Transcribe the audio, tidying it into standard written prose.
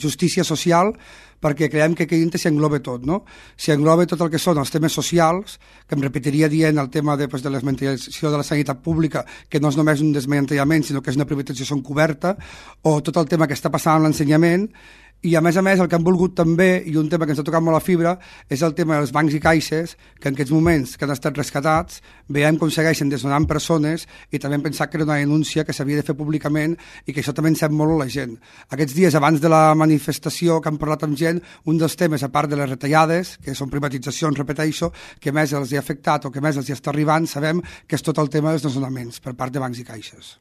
justícia social, perquè creiem que aquí dintre s'hi engloba tot, no? S'hi engloba tot el que són els temes socials, que em repetiria dient el tema de la desmantellització de la sanitat pública, que no és només un desmantellament, sinó que és una privatització encoberta, o tot el tema que està passant amb l'ensenyament, i a més, el que han volgut també, i un tema que ens ha tocat molt la fibra, és el tema dels bancs i caixes, que en aquests moments que han estat rescatats, veiem com segueixen desnonant persones, i també hem pensat que era una denúncia que s'havia de fer públicament i que això també encep molt a la gent. Aquests dies, abans de la manifestació que han parlat amb gent, un dels temes, a part de les retallades, que són privatitzacions, repeteixo, que més els hi ha afectat o que més els hi està arribant, sabem que és tot el tema dels desnonaments per part de bancs i caixes.